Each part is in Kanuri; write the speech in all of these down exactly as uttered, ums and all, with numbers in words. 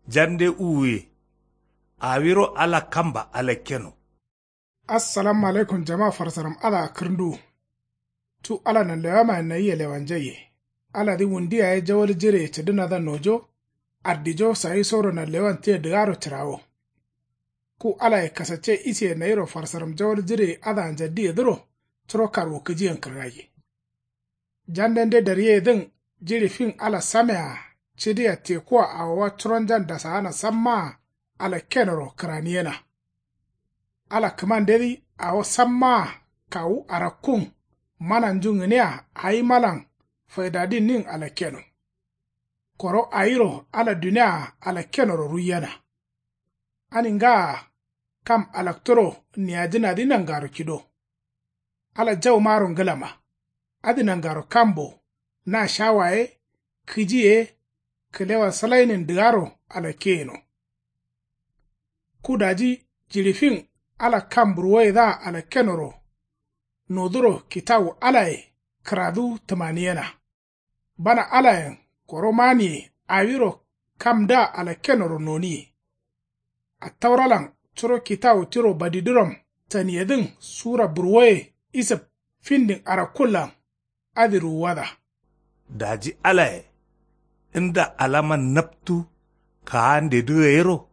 Jande uwuye. Awiro ala kamba alakkeno. Assalamu alaikum jama farsaram adǝa kǝrnduwu. Cu ala nanlewamayen nayia lewanjaiye. Aladǝ wundi yaye jawal jireye cǝdǝnadǝa nojo. Ardijo sayisoro nanlewan tia dǝgaro cǝrawo. Ku alaye kasacce isiye nayiro farsaram jawal jireye adǝa njaddiyedǝro. Curo karwu kǝjiyen kǝrgaiye. Jandende daryeyedǝn jiɍi fin ala samea cǝdia tekuwa awowa curonjan dasaana sammaa alakkenoro kǝraniyena. Ala kǝmandedǝ awo sammaa kawu arakkun mananju ngǝnia awimalan faidadinnin alakkeno. Koro awiro ala dunia alakkenoro ruiyena. Ani ngaa kam alakturo niyajǝnadǝ nangaro kido. Ala jaumaro ngǝlama. Adǝ nangaro kambo na shawa ye kǝji ye kǝlewa sǝlainin dǝgaro alakke yeno. Ku daji jiɍi fin ala kam burwoyedǝa alakkenoro noduro kitawu alaye kǝradu tǝmaniyena. Bana alayen koro maniye awiro kamdǝa alakkenoro noniye. Attauralan curo kitawu tiro badiduram taniyedǝn sura burwoye isǝb findin arakkullan adǝ ruwuwada. Daji alaye nda alaman naptu kaandedǝ gayero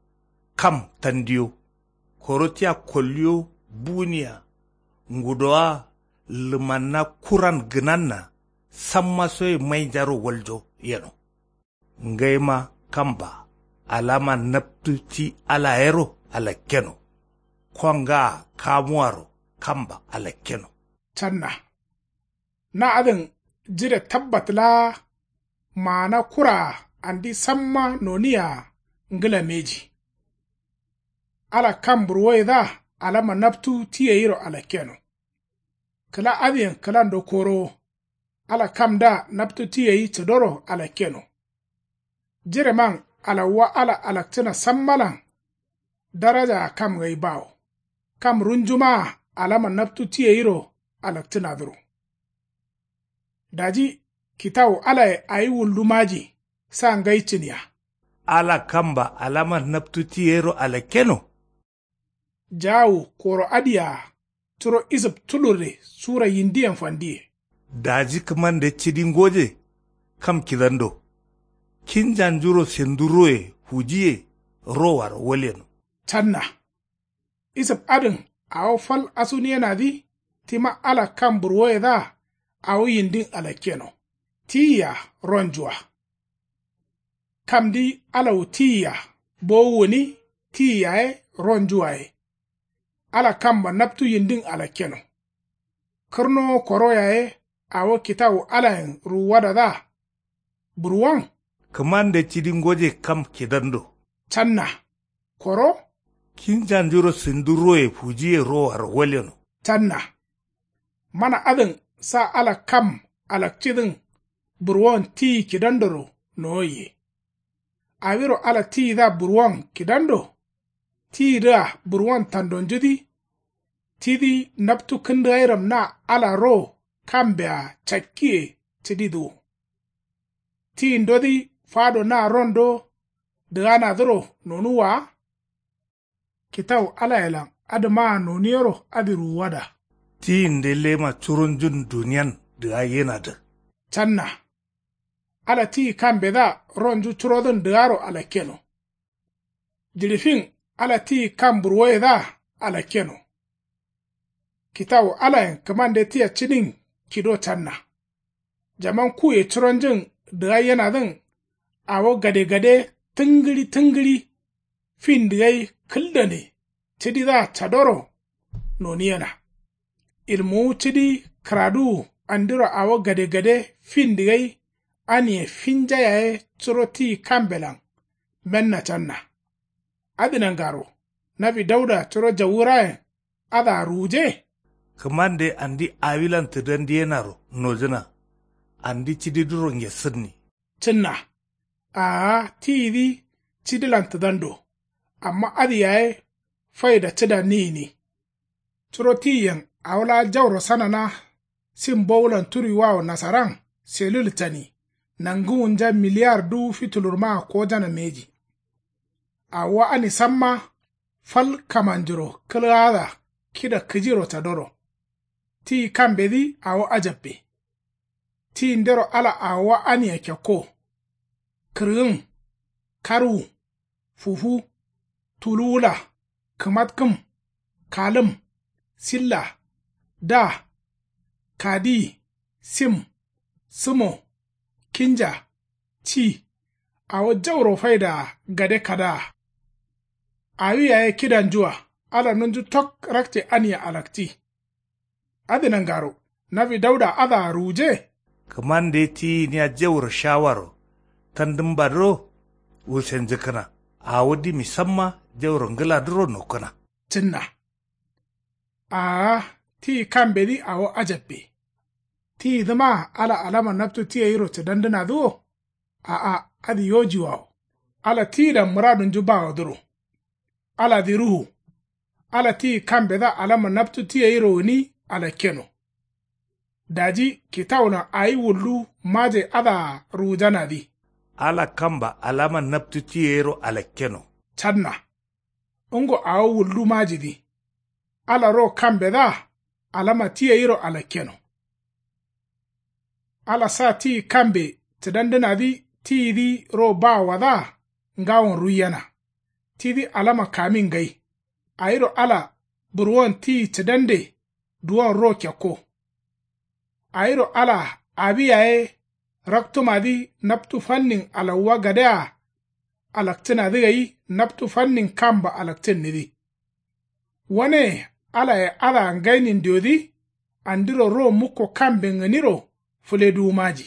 kam tandiyo. Koro tia kolliyo buniya ngudowa lǝmanna kuran gǝnanna samma soye mainjaro waljo yeno. Ngaima kamba alama naptu ti alayero alakkeno. Kongaa kamuwaro kamba alakkeno. Canna na adǝn jire tabbat laa maana kuraa andi samma noniyea ngǝla mbeji. Ala kam burwoyedǝa alama naptu ti gayiro alakkeno. Kǝla adǝyen kǝlando korowo. Ala kamdǝa naptu ti gai cǝdoro alakkeno. Jireman alawwa ala alakcǝna sammalan darajaa kam gai bawo. Kam runjumaa alama naptu ti gairo alakcǝnadǝro. Daji kitawu alaye awi wuldu maji sa ngai cǝniya. Ala kamba alama naptu ti gairo alakkeno. Jaawu koro adǝyea curo isǝb tulurre sura yindiyen fandiye. Daji kǝmande cidi ngoje kam kidando. Kinjanjuro sendu roye fujiye rowaro walyeno. Canna isǝb adǝn awo fal asuniyenadǝ tima ala kam burwoyedǝa awo yindin alakkeno. Tiyia ronjua. Kamdǝ alawu tiyia bowu gǝni tiyi yaye ronjua ye. Ala kamba naptu yindin alakkeno. Kǝrnowo koro yaye awo kitawu alayen ruwuwadadǝa burwon. Kǝmande cidi ngoje kam kidando. Canna koro. Kinjanjuro sindu roye fujiye rowaro walyeno. Canna mana adǝn sa ala kam alakcidǝn burwon tiyi kidandoro nowoiye. Awiro ala tiyidǝa burwon kidando. Tiyidǝa burwon tandonjudǝ tidǝ naptu kǝndǝgairam na ala ro kambea cakkiye cǝdidǝ wo. Tiyindodǝ fado na rondo dǝganadǝro nonuwwa wa. Kitawu alayelan adǝmaa noniyero adǝ ruwuwada. Tiyinde lema curonjun duniyan dǝgaiyenadǝ. Canna ala tiyi kambedǝa ronju curodǝn dǝgaro alakkeno. Jiɍi fin ala tiyi kam burwoyedǝa alakkeno. Kitawu alayen kǝmande tia cidin kido canna. Jaman kuye curonjun dǝgaiyenadǝn awo gadegade tǝngǝɍi tǝngǝɍi findi gai kǝldane cididǝa cadoro noniyena. Ilmuwu cidi kǝraduwu andiro awo gadegade findi gai aniye finja yaye curo tiyi kambelan menna canna. Adǝ nangaro nawi dauda curo jawurayen adǝa ruwuje. Kǝmande andi awilan tǝdandiyenaro nojǝna. Andi cididǝro ngessǝnni. Cǝnna. Aa tiyidǝ cidilan tǝdando. Amma adǝ yaye faida cǝdanni gǝni. Curo tiyiyen awo laa jauro sanana sim bowulan turiwawo nasaran selul cani. Nangǝwunja miliyar duwu fitulurmaa kojana mbeji. Awo ani samma fal kamanjuro kǝlgaada kida kǝjiro cadoro. Tiyi kambedǝ awo ajabbe. Tiyindero ala awowa ania kekko. Kǝrgǝn, karwu, fufu, tuluwula, kǝmatkǝm, kalǝm, silla, da, kadiyi, sim, sǝmo, kinja, ci, awo jauro faidaa gade kadaa. Awi yaye kidanjua ala nunju tok rakce ania alakci. Adǝ nangaro nawi dauda adǝa ruwuje. Kǝmande tiyi gǝnia jauro shawaro tandǝmbadǝro wulshenjǝkkǝna. Awo dimi samma jauro ngǝladǝro nokkǝna. Cǝnna. Aa, tiyi kambedǝ awo ajabbe. Tiyidǝma ala alama naptu ti gairo cǝdandǝnadǝ wo? A'a, adǝ yojiwawo. Ala tiyidan mǝradunju bawodǝro. Aladǝ ruhu. Ala tiyi kambedǝa alama naptu ti gairo gǝni alakkeno. Daji kitawulan awi wullu maje adǝa ruwujanadǝ. Ala kamba alama naptu ti gairo alakkeno. Canna. Ngo awo wullu majidǝ. Ala ro kambedǝa alama ti gairo alakkeno. Ala sa tiyi kambe cǝdandǝnadǝ tiyidǝ ro bawowadǝa ngawon ruiyena. Tidǝ alama kamin ngai. Awiro ala burwon tiyi cǝdande duwon ro kekko. Awiro ala awi yaye raktumadǝ naptu fannin alawuwa gadea alakcǝnadǝ gai naptu fannin kamba alakcǝnnidǝ. Wane alaye adǝa ngainin diodǝ andiro ro mukko kamben gǝniro fǝleduwu maji.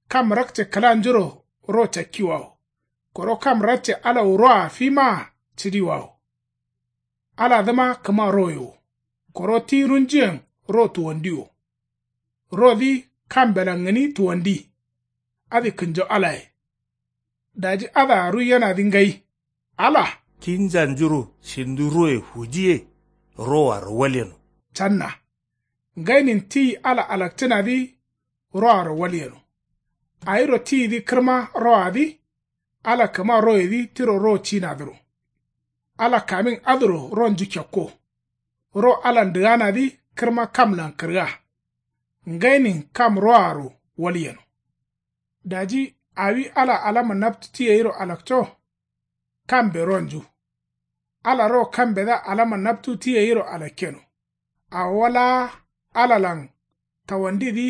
Kam rakce kǝlanjuro ro cakkiwawo. Koro kam rakce alawu roa fimaa cǝdiwawo. Aladǝma kǝma roye wo. Koro ti runjuyen ro tuwandiwo. Rodǝ kambelan gǝni tuwandi. Adǝ kǝnjo alaye. Daji adǝa ruiyenadǝ ngai. Ala. Kinjanjuro shindu roye fujiye. Roaro walyeno. Canna. Ngainin tiyi ala alakcǝnadǝ roaro walyeno. Awiro tiyidǝ kǝrma roadǝ. Ala kǝma royedǝ tiro ro cinadǝro. Ala kamin adǝro ronju kekko. Ro alan dǝganadǝ kǝrma kamlan kǝrga. Ngainin kam roaro walyeno. Daji awi ala alama naptu ti gairo alakco. Kambe ronju. Ala ro kambedǝa alama naptu ti gairo alakkeno. Awowa laa alalan tawandidǝ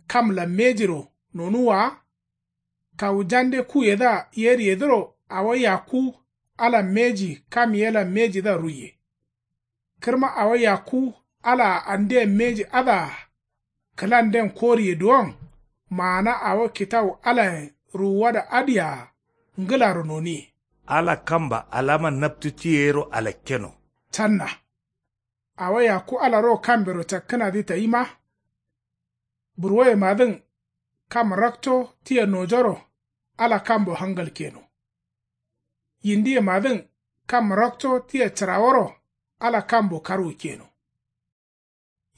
kamlan mejiro nonuwwa wa. Kawu jande kuyedǝa yeriyedǝro awo yakku alan meji kam yelan mejidǝa ruiye. Kǝrma awo yakku alaa andeyen meji adǝa kǝlanden koriye duwon. Maana awo kitawu alayen ruwuwada adǝyea ngǝlaro noniye. Ala kamba alama naptu ti gairo alakkeno. Canna. Awo yakku ala ro kambero cakkǝnadǝ tayima. Burwoyemadǝn kam rakco tia nojoro ala kambo hangal keno. Yindiyemadǝn kam rakco tia cǝraworo ala kambo karwu keno.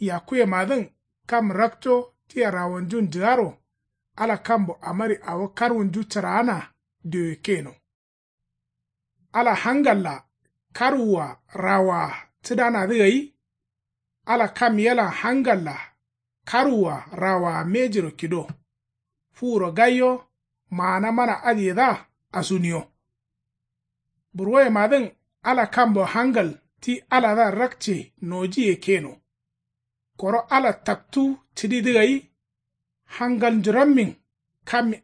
Yakkuyemadǝn kam rakco tia rawonjun jǝgaro ala kambo amari awo karwunju cǝraana dioye keno. Ala hangalla karwua rawoa cǝdanadǝ gai. Ala kam yelan hangalla karwua rawoa mejiro kido. Fuwuro gaiyo maana mana adǝyedǝa asuniyo. Burwoyemadǝn ala kambo hangal ti aladǝa rakce nojiye keno. Koro ala taktu cǝdidǝ gai. Hangalnjurammin kam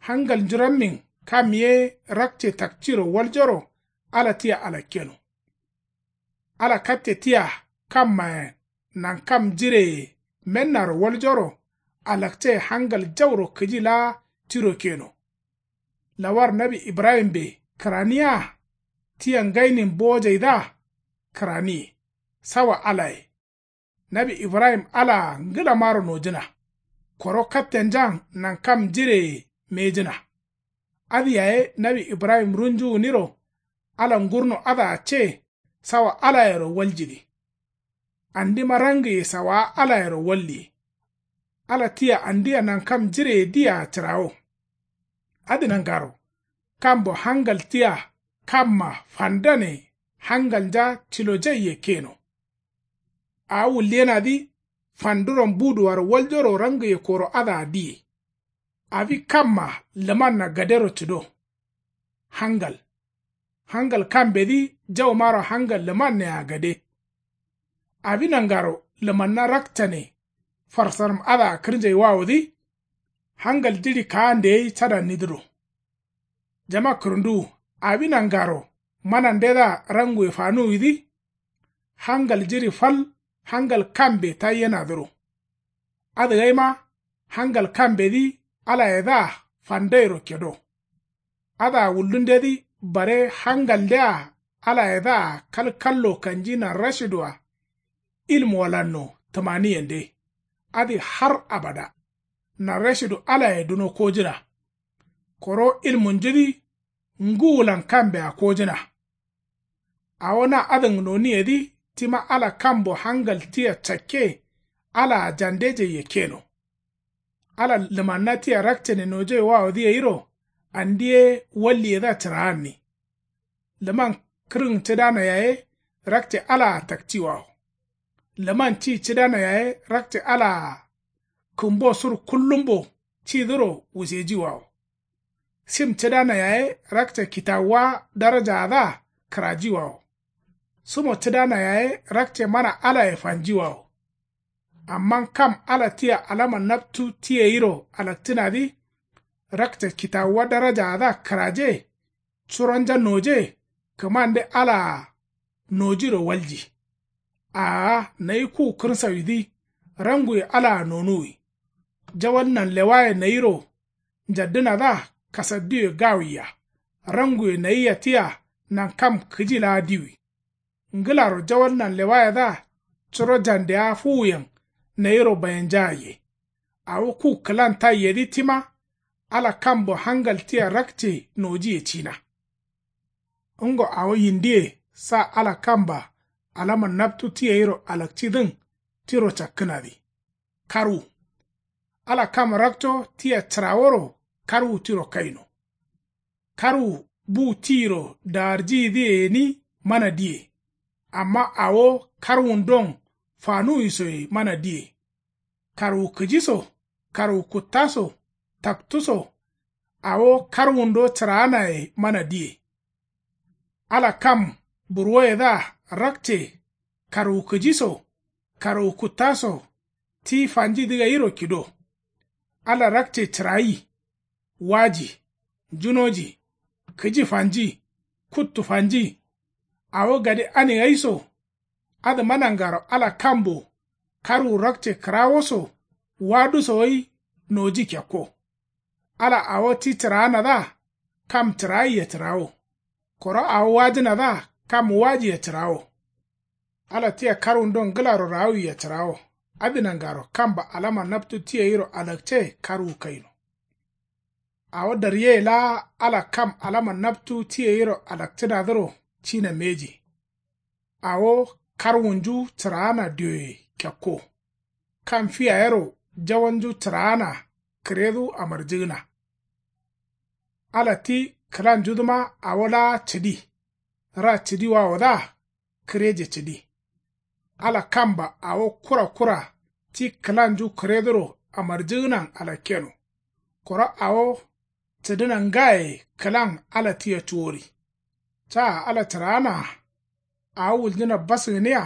hangalnjurammin kam ye rakce takciro waljoro ala tia alakkeno. Ala katte tia kammayen nankam jireye mennaro waljoro alakce hangal jauro kǝji laa tiro keno. Lawar nawi ibrahimbe kǝraniya. Tia ngainin bowojaidǝa kǝraniye. Sawa alaye. Nawi ibrahim alaa ngǝlamaro nojǝna. Koro kattenjan nankam jireye mejǝna. Adǝ yaye nawi ibrahim runju gǝniro ala ngurno adǝa ce sawa alayero waljidǝ. Andima rangiye sawaa alayero walliye. Ala tia andia nankam jireye dia cǝrawo. Adǝ nangaro kambo hangal tia Kamma fandane hangalnja tilojaiye keno. Awo wulliyenadǝ fanduron buduwaro waljoro rangǝye koro adǝa diye. Awi kamma lǝmanna gadero cǝdo. Hangal hangal kambedǝ jaumaro hangal lǝmannea gade. Awi nangaro lǝmanna rakcane farsaram adǝa kǝrnjaiwawodǝ. Hangal jiɍi kaande gai cadannidǝro. Jama kǝrǝnduwu awi nangaro manandedǝa ranguwe fanuwidǝ. Hangal jiɍi fal hangal kambe taiyenadǝro. Adǝgaima hangal kambedǝ alayedǝa fandairo kedo. Adǝa wuldundedǝ bare hangaldea alayedǝa kalkallo kanji nanrashidua. Ilmu walanno tǝmaniyende adǝ har abada. Nanrashidu alaye duno kojǝna. Koro ilmunjudǝ ngǝwulan kambea kojǝna. Awo na adǝn noniyedǝ tima ala kambo hangal tia cakke. Alaa jandejaiye keno. Ala lǝmanna tia rakcane nojaiwawodǝ gairo andi ye walliyedǝa cǝraanni. Lǝman kǝrǝn cǝdana yaye rakce alaa takciwawo. Lǝman ci cǝdana yaye rakce alaa kǝmbo sur kullumbo cidǝro wusejiwawo. Sim cǝdana yaye rakce kitawuwa darajaadǝa kǝrajiwawo. Sumo cǝdana yaye rakce mana alaye fanjiwawo. Amma kam ala tia alama naptu ti gairo alakcǝnadǝ. Rakce kitawuwa darajaadǝa kǝraje. Curonja noje kǝmande alaa nojiro walji. Aa nayi ku kǝrsawidǝ ranguwe alaa nonuwi. Jawal nanlewaye nayiro njaddǝnadǝa kasaddiwe gawiya. Ranguwe nayiya tia nankam kǝji laa diwi. Ngǝlaro jawal nanlewayedǝa curo jandeya fuwuyen nayiro bayenjagaiye. Awo ku kǝlan taiyedǝ tima ala kambo hangal tia rakce nojiye cina. Ngo awo yindiye sa ala kamba alama naptu ti gairo alakcidǝn tiro cakkǝnadǝ. Karwu ala kam rakco tia cǝraworo karwu tiro kaino. Karwu bu tiyiro dagarjiyidǝye gǝni mana diye. Amma awo karwundon fanuwisoye mana diye. Karwu kǝji so karwu kutta so taktu so awo karwundo cǝraanaye mana diye. Ala kam burwoyedǝa rakce karwu kǝji so karwu kutta so ti fanjidǝ gairo kido. Ala rakce cǝrayi waji njunoji kǝji fanji kuttu fanji. Awo gade ani gai so adǝma nangaro ala kambo karwu rakce kǝrawo so waduso gai noji kekko. Ala awo ti cǝraanadǝa kam cǝraiye cǝrawo. Koro awo wajǝnadǝa kam wajiye cǝrawo. Ala tia karwundon ngǝlaro rawiye cǝrawo. Adǝ nangaro kamba alama naptu ti gairo alakce karwu kaino. Awo daryeye laa ala kam alama naptu ti gairo alakcǝnadǝro cina mbeji. Awo karwunju cǝraana dioye kekko. Kam fi yayero jawalnju cǝraana kǝredu amarjǝgǝna. Ala ti kǝlanjudǝma awo laa cǝdi. Ra cǝdiwawodǝa kǝreje cǝdi. Ala kamba awo kura kura ti kǝlanju kǝreduro amarjǝgǝnan alakkeno. Koro awo cǝdǝna ngaye kǝlan ala tia cuwori. Caa ala cǝraanaa. Awo wuljǝna bas gǝniya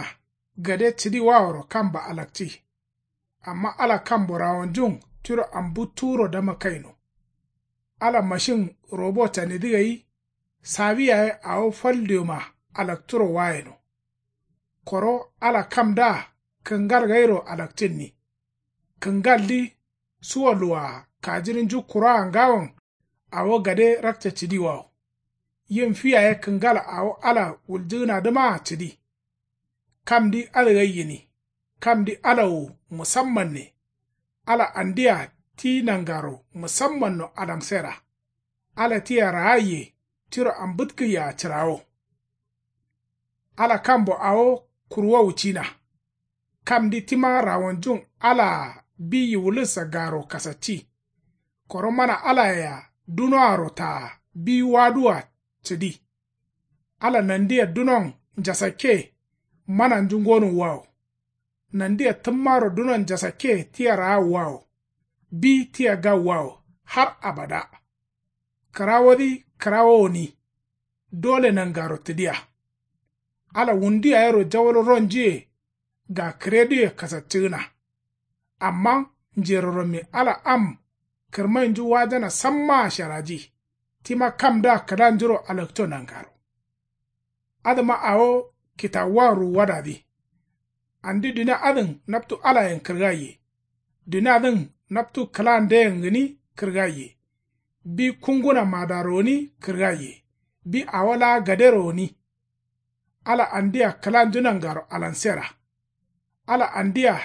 gade cǝdiwaworo kamba alakci. Amma ala kambo rawonjun tiro ambuttuwuro dama kaino. Ala mashin robo canidǝ gai sawi yaye awo fal dioma alakturo wayeno. Koro ala kamdǝa kǝngal gairo alakcinni. Kǝngaldǝ suwa luwaa kajirnju kuroa ngawon awo gade rakce cǝdiwawo. Yim fi yaye kǝngal awo ala wuljǝgǝnadǝmaa cǝdi. Kamdǝ adǝ gai gǝni. Kamdǝ ala wo musammanne. Ala andia ti nangaro musammanno alansera. Ala tia raaiye tiro ambǝtkǝyea cǝrawo. Ala kambo awo kurwowu cina. Kamdǝ tima rawonjun alaa biyi wulǝssa garo kasacci. Koro mana alayea dunoaro taa biyi waduwa cǝdi. Ala nandiya dunon njasakke mananju ngonuwwawo. Nandiya tǝmmaro dunon njasakke tia raawwawo. Bi tia gawwawo har abada. Kǝrawodǝ kǝrawo gǝni. Dole nangaro tǝdiya. Ala wundu yayero jawal ronjuye. Gakǝreduye kasaccǝgǝna. Amma njerorommi ala am kǝrmainju wajana sammaa sharaji. Tima kamdǝa kǝlanjuro alakco nangaro. Adǝma awo kitawuwa ruwuwadadǝ. Andi dunia adǝn naptu alayen kǝrgaiye. Duniadǝn naptu kǝlandeyen gǝni kǝrgaiye. Bi kunguna madaro gǝni kǝrgaiye. Bi awo laa gadero gǝni. Ala andia kǝlanju nangaro alansera. Ala andia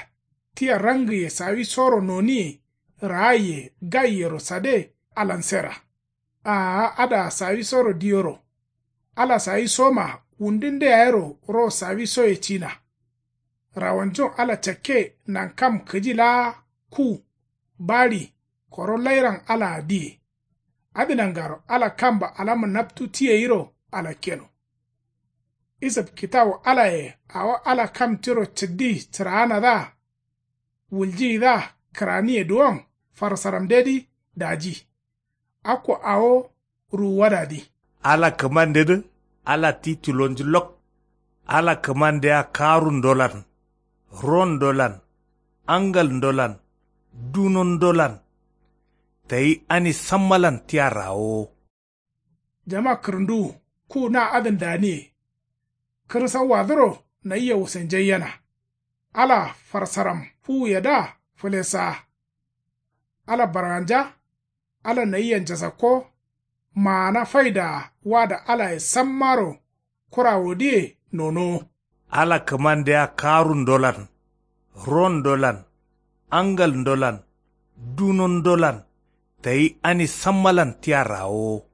tia rangǝye sawisoro noniye raaiye gaiyero sade alansera. Aa adǝa sawisoro diyoro. Ala sawisoma wundunde yayero ro sawisoye cina. Rawanjun ala cakke nankam kǝji laa ku baɍi koro lairan alaa diye. Adǝ nangaro ala kamba alama naptu ti gairo alakkeno. Isǝf kitawu alaye awo ala kam tiro cǝddi cǝraanadǝa wuljiyidǝa kǝraniye duwon farsaramdedǝ daji. Akko awo ruwuwadadǝ. Ala kǝmandedǝ ala ti tulonju lok. Ala kǝmandea karundolan rondolan angalndolan dunondolan tayi ani sammalan tia rawowo. Jama kǝrǝnduwu ku na adǝn daniye. Kǝrsauwadǝro nayia wusenjaiyena. Ala farsaram fuwuyedǝa fǝlesaa. Ala barganja. Ala nayia njasakko. Maana faidaa wada alaye sammaro kurawodǝye nonowo. Ala kǝmandea karundolan rondolan angalndolan dunondolan tayi ani sammalan tia rawowo.